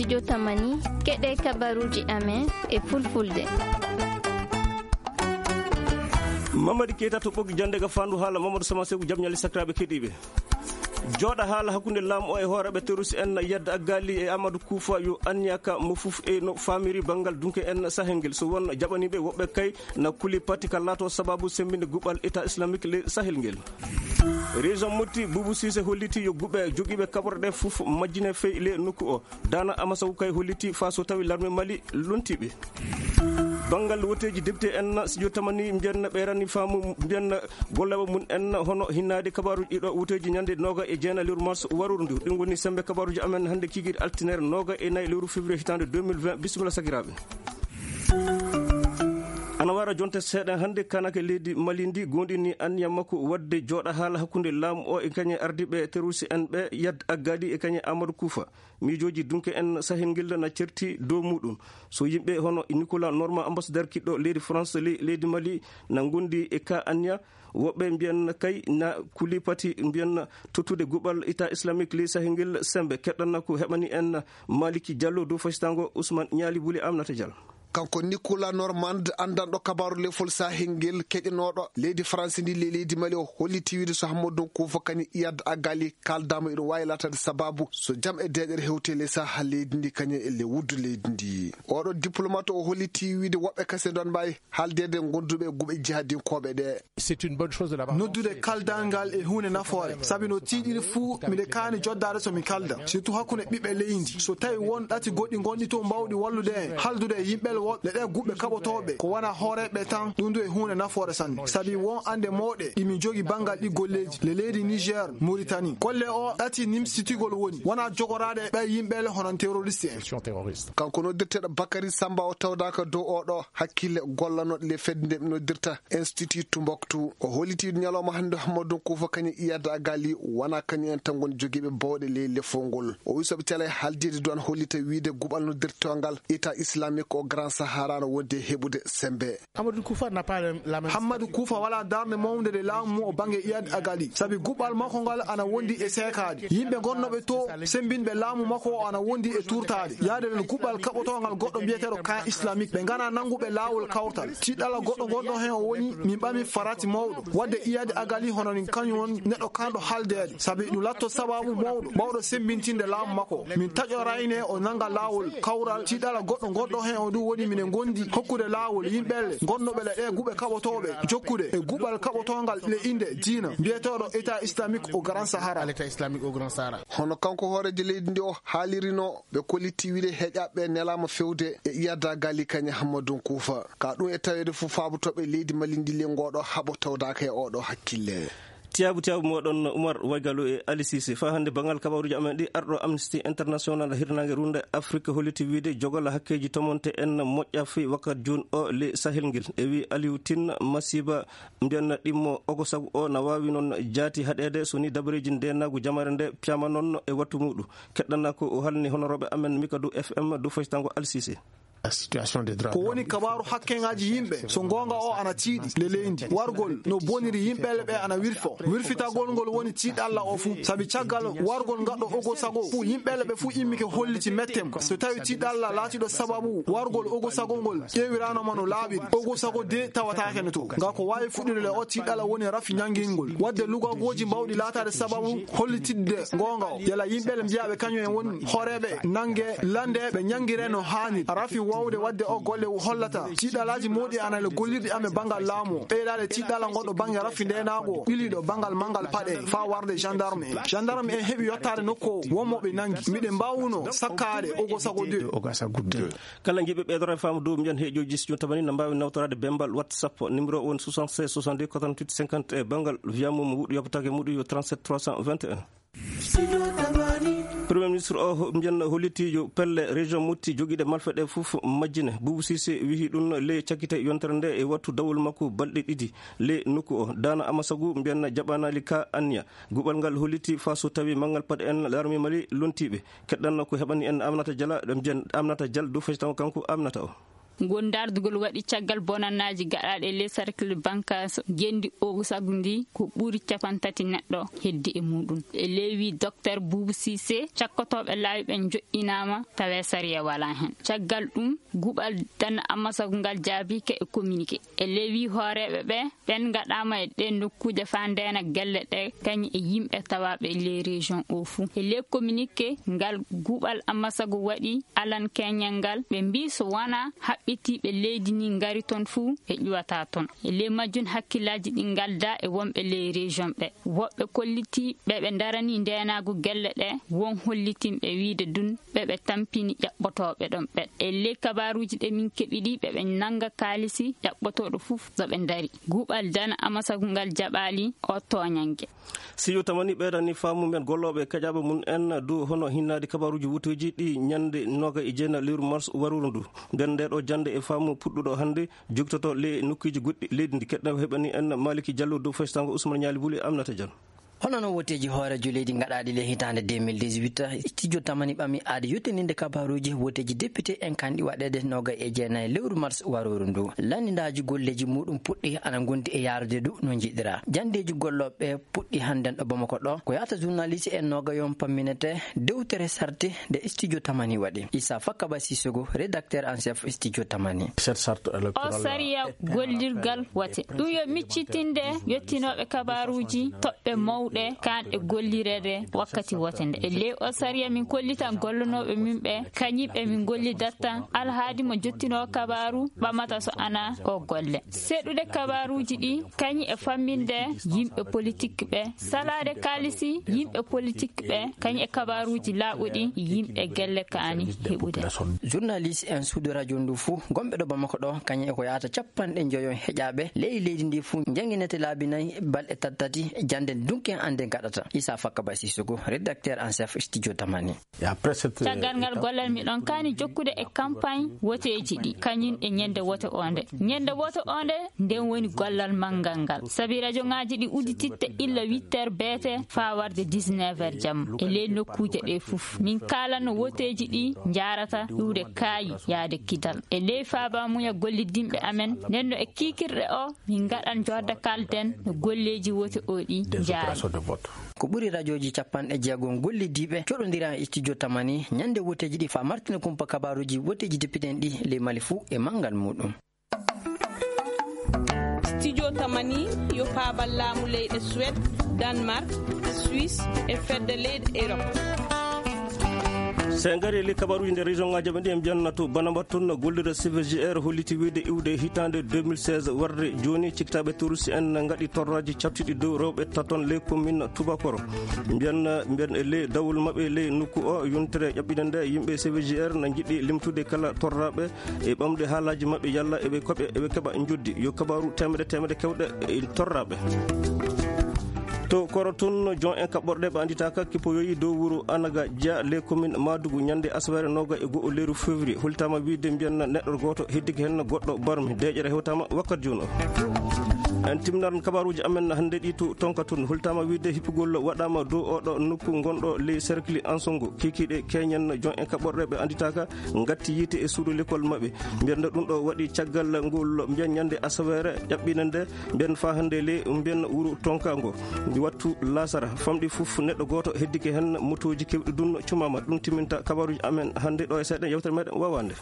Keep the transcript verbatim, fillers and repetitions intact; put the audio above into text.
Jotamani, keɗe kabaruuji amen e fulfulde. Mamadi Keita to ɓoggi jannde ga faandu haala Mamadou Sama Seku, jam ñalle sakiraaɓe keɗiiɓe. Jooɗa haala hakkunde laamu o e hooreeɓe terroriste en Yadda Aggali e Amadou Koufa yo anniyaka mo fof e no faamiri banngal dunke en Sahel ngel. So won jaɓaniiɓe woɓɓe kay na kuli pati ka laato sababu semmbinde guɓal État Islamique le Sahel ngel. Région Motti, Boubou Cissé holliti yo guɓe jogiiɓe kaɓorɗe fof majjine fey le nokku o. Dana Amasaw kay holliti faa so tawi larme Mali lontiiɓe. Banngal woteeji député en, si jotamani mbiyanna ɓeyrani faamu mbiyanna gollooɓe mum en hono hinnaade kabaaruuji ɗiɗo woteeji ñande nooga e jeena lewru mars waruru ndu. Ɗum woni sembe kabaaruuji amen hannde kiikiiɗe altinere nooga e nayi lewru février hitaande deux mille vingt. Bisimilla sakiraaɓe. Ana wara jonte seeɗa hannde kanake leydi Mali ndi goonɗini anniya makko waɗde jooɗa haala hakkunde laamu o e kañe ardiiɓe terroriste en ɓe Yad Aggali e kañe Amadou Koufa. Miijooji dunke en Sahel ngel na certi dow muɗum. So yimɓe hono Nicolas Norma, ambassadeur kiɗɗo leydi France, le-, leydi Mali, na ngondi e ka anniya, woɓɓe mbiyan kay na kuli pati mbiyan tottude guɓal État Islamique ley Sahel ngel sembe. Keɗɗanna ko heɓani en Maliki Diallo dow fasitango Ousmane Niali Wuli Aminata Diallo. Kanko Nicolas Normand, anndanɗo kabaaru lefol Sahel ngel, keƴanooɗo leydi France ndi, le-, leydi Mali, o holliti wiide so Hammadou Koufa Kani Iyad Agali kaaldaama, iɗo waawi laataade sababu so jam e deeƴere hewti le Sahel leydi ndi, kañum e le wuddu leydi ndi. Oɗo diplomate o holliti wiide woɓɓe kase ɗon mbaawi haaldeede gonduɓe guɓe jihadinkooɓe ɗe. C'est une bonne chose de l'avoir. Noddude kaldal ngal e huunde nafoore, sabi no tiiɗiri fuu, miɗe kaani joddaade so mi kalda, surtout hakkunde ɓiɓɓe leydi. So tawi won ɗati goɗɗi ngonɗi toon mbaawɗi wallude en, haldude e yimɓe woɓɓe, le ɗe guɓɓe kaɓotooɓe, ko wona hooreeɓe tan, ɗum du e huunde nafoore sanne. Sabi won annde mawɗe ɗi min jogi banngal ɗi golleeji, le leydi Niger, Mauritanie. Golle o ɗati nimsitigol woni, wona jogoraade e ɓe yimɓe le hono terroriste en. Terroriste. Kanko noddirteeɗo Bakary Samba o tawdaaka dow oɗo hakkille gollanooɗo le fedde nde ɓe noddirta Institut Tumbuktu. O holliti ñalawma hannde Hammadou Koufa Kani Iyad Agali wona kañum en tan ngoni jogiiɓe bawɗe ley lefol ngol. O wi so ɓe calay haaldeede duwan hollita wiide guɓal noddirtoongal État Islamique au Grand Sahara no wondi e heɓude sembe. Amadou Koufa n'a pas la, la même Hammadou Koufa wala darnde mawnde nde laamu mum o bannge Iyad Agali. Sabi guɓal makko ngal ana wondi e seekaade. Yimɓe gonnooɓe to sembinɓe laamu makko o ana wondi e tuurtaade. Yaade nden guɓal kaɓotoongal goɗɗo mbiyeteeɗo camp islamique. Ɓe ngana nannguɓe laawol kawtal. Tiiɗalla goɗɗo gonɗo heen o woni, min ɓami farati mawɗo. Waɗde Iyad Agali hono nin kañum won neɗɗo kanɗo haldeede. Sabi ɗum latto sababu mawɗo, mawɗo sembintinde laamu makko. Min taƴorayne o nannga laawol kawral. Tiiɗalla goɗɗo gonɗo heen o ɗum woni minen ngondi hokkude laawol yimɓe le gonnooɓe le ɗe guɓe kaɓotooɓe jokkude e guɓal kaɓotoongal le innde diina mbiyeteeɗo État Islamique au Grand Sahara. L'État Islamique au Grand Sahara. Hono kanko hooreejo leydi ndi o haalirino, ɓe kolliti wiide heƴaɓe nelaama fewde e Iyad Agali Kani Hammadou Koufa. Ka ɗum e taweede fof faabotooɓe leydi Mali ndi le ngooɗo haɓo tawdaaka e oɗo hakkille. Tiyaabu tiyaabu moɗon Oumar Waygalo e Ali Cissé. Faa hannde banngal kabaruuji amen ɗi, arɗo Amnesty International hirnaange runde Afrique holliti wiide jogal hakkeeji tomonte en moƴƴa fii wakkat jooni o le Sahel ngel. E wi Aliou Tine masiiba mbiyanna ɗimmo ogo sago o na waawi noon jaati haɗeede so ni dabareeji ndeenaagu jamaare nde piyama noon e wattu muuɗum. Keɗɗanaa ko o halni honorooɓe amen Mikado F M dow faytango Alsise. Ko woni kabaaru hakkeŋaaji yimɓe, so ngoonga o ana tiiɗi le leydi. Wargol no boniri yimɓe le ɓe ana wirfo. Wirfitagol ngol woni tiiɗalla o fuu. Sabi caggal wargol ngaɗɗo ogo sago fuu, yimɓe le ɓe fuu immike holliti mettem. So tawi tiiɗalla laatiɗo sababu wargol ogo sago ngol ƴeewiraano ma no laaɓiri. Ogo sago de tawataake no to. Nga ko waawi fuɗɗude le o tiiɗalla woni rafi ñangingol. Waɗde lugagooji mbawɗi laataade sababu hollitidde ngoonga o. Yala yimɓe le mbiyaaɓe kañum en woni hooreeɓe nannge lande ɓe ñangire no haani. Rafi waawde waɗde o golle o hollata. Tiiɗalaaji mawɗi ana le gollirɗi amen banngal laamu o. Ɓeydaade tiiɗalla ngonɗo bannge rafi ndeenaagu o. Ɓiliɗo banngal manngal paɗe faa warde gendarme en. Gendarme en heɓi yottaade nokku o. Wonmo ɓe nanngi. Miɗen mbaawuno sakkaade ogo sago de. Kala njiɗɓe ɓeydorade faamu dow mbiyan heeƴooji studio tabani na mbaawi nawtoraade bembal WhatsApp. Numéro o woni soixante-seize soixante-deux quatre-vingt-huit cinquante e banngal via mum wuɗɗu yoppataake muɗum yo trente-sept trois cent vingt et un. Premier ministre o ho-, mbiyan hollitiijo pelle région Motti jogiiɗe malfe ɗe fof majjine. Boubou Cissé wihi ɗum ley cakkite yontere nde e wattu dawol makko balɗe ɗiɗi ley nokku o. Daana Amasagu mbiyan jaɓanaali ka anniya. Guɓal ngal holliti faa so tawi manngal paɗe en l'armée Mali lontiiɓe. Keɗɗanno ko heɓani en Aminata Diallo, ɗo mbiyan Aminata Diallo dow feccitango kanko Aminata o. Ngol ndaardugol waɗi caggal bonannaaji gaɗaaɗi e ley cercle bancaire ngenndi o sagu ndi ko ɓuri cappanɗe tati neɗɗo heddi e muɗum. E ley wii Docteur Boubou Cissé, cakkotooɓe laawi ɓe njoƴƴinaama tawee sariya walaa heen. Caggal ɗum, guɓal dana amma sagu ngal jaabiike e communiqué. E ley wii hooreeɓe ɓe, ɓen ngaɗaama e ɗee nokkuuje faa ndeena gelle ɗe kañum e yimɓe tawaaɓe e ley région o fuu. E ley communiqué ngal guɓal amma sagu waɗi alan keñal ngal, ɓe mbii so wonaa haɓɓitiiɓe leydi ndi ngari toon fuu ɓe ƴuwataa toon. E ley majjum hakkillaaji ɗi ngaldaa e wonɓe ley région ɓe. Woɓɓe kollitii ɓe ɓe ndaranii ndeenaagu gelle ɗe won hollitinɓe wiide ɗum ɓe ɓe tampini ƴaɓɓotooɓe ɗon ɓe. E ley kabaaruuji ɗe min keɓi ɗi ɓe ɓe nannga kaalisi ƴaɓɓotooɗo fof so ɓe ndari. Guɓal dana amma sagu ngal jaɓaali o tooñannge. Siyo tamani ɓeydani faamu men gollooɓe e keƴaaɓe mum en dow hono hinnaade kabaaruuji wuteeji ɗi ñannde noogay e jeenayi lewru mars waruru ndu. Nden nde ɗo jannde e faamu puɗɗuɗo hannde jogitoto le nokkuuji goɗɗi leydi ndi. Keɗɗo heɓani en Maliki Diallo dow faystaango Ousmane Ñaali Buli e Aminata Diallo. Hono no woteeji hooreejo leydi ngaɗaaɗi le hitaande deux mille dix-huit, studio tamani ɓami aade yottininde kabaaruuji woteeji député en kanɗi waɗeede noogay e jeenayi lewru mars waruru ndu. Lanndindaaji golleeji muɗum puɗɗi ana ngondi e yaarude du no njiɗira. Janndeeji gollooɓe puɗɗi hannden ɗo Bamako ɗo. Ko yaata journaliste en noogayon pamminete dewtere sarti nde studio tamani waɗi. Issa Fakaba Sissoko, rédacteur en chef studio tamani. O sariya gollirgal wote. Ɗum yo miccitinde yottinooɓe kabaaruuji toɓɓe mawɗe kaanɗe gollireede wakkati wote nde. E ley o sariya min kollitan gollanooɓe min ɓe, kañum ɓe min gollidatta alhaadi mo jottinoo kabaaru ɓamata so ana o golle. Seɗude kabaaruuji ɗi, kañum e famminde yimɓe politik ɓe, salaade kaalisi yimɓe politik ɓe, kañum e kabaaruuji laaɓuɗi yimɓe gelle kaani heɓude. Journaliste en suudu radio ndu fuu, gonɓe ɗo Bamako ɗo, kañum e ko yaata cappanɗe njoyo heƴaaɓe ley leydi ndi fuu, njanginete laabi nayi balɗe tati tati, jannde dunki en annde gaɗata. Issa Fakaba Sissoko, rédacteur en chef studio tamani. Caggal ngal gollal miɗon kaani jokkude e campagne woteeji ɗi, kañum e ñande wote o nde. Ñande wote o nde, nden woni gollal manngal ngal. Sabi rajo ŋaaji ɗi uddititte illa huit heures beete faa warde dix-neuf heures jamma. E ley nokkuuje ɗe fof, min kaalanno woteeji ɗi njaarata iwde kaayi yaade kidal. E ley faaba muña gollidinɓe amen, nden no e kiikirɗe o, min ngaɗan jodda kalden no golleeji wote o ɗi njaari. Ko ɓuri rajooji cappanɗe jeegom gollidiiɓe coɗondira e studio tamani ñande woteeji ɗi faa martina kumpa kabaaruuji woteeji député en ɗi ley Mali fuu e manngal muɗum. Studio tamani yo paabal laamu leyɗe Suède, Danemark, Suisse e fedde leyɗe Europe. So en ngarii e ley kabaaruuji nder région ŋaaji amen ɗi, en mbiyan to Banabat toon, gollirɗo C V G R holliti wiyde iwde hitaande deux mille seize warde jooni, cikkitaaɓe terroriste en ngaɗi torraaji caɗtuɗi dow rewɓe taton ley commune Tubakoro. Mbiyan, mbiyan e ley dawol maɓɓe ley nokku o, yontere ƴaɓɓiinde nde, yimɓe C V G R na njiɗi limtude kala torraaɓe e ɓamde haalaaji maɓɓe yalla eɓe koɓe, eɓe keɓa njoddi. Yo kabaaru teemedde teemedde kewɗe e torraaɓe. To Koro toon, jon en kaɓɓorɗe ɓe annditaaka kippoyoyi dow wuro Anaga Dia, ley commune Madugu, ñande asaweere nooga e go'o lewru février. Holtaama wiyde mbiyan neɗɗo gooto heddike heen goɗɗo barmi. Deeƴere hewtaama wakkati jooni o. En timminan kabaaruuji amen hannde ɗi to Tonka toon. Holtaama wiyde hippugol waɗaama dow oɗo nokku ngonɗo ley cercle Ansongo. Kiikiiɗe keñen jon en kaɓɓorɗe ɓe annditaaka ngatti yiite e suudu lekol maɓɓe. Mbiyan ɗum ɗo waɗi caggal ngol mbiyan ñande asaweere ƴaɓɓiinde nde, mbiyan faa hannde le mbiyan wuro Tonka ngo. Ndi wattu laasara famɗi fof neɗɗo gooto heddike heen, motooji keewɗi dun cumaama. Ɗum timminta kabaaruuji amen hannde ɗo e seeɗa yewtere meɗen wawaande.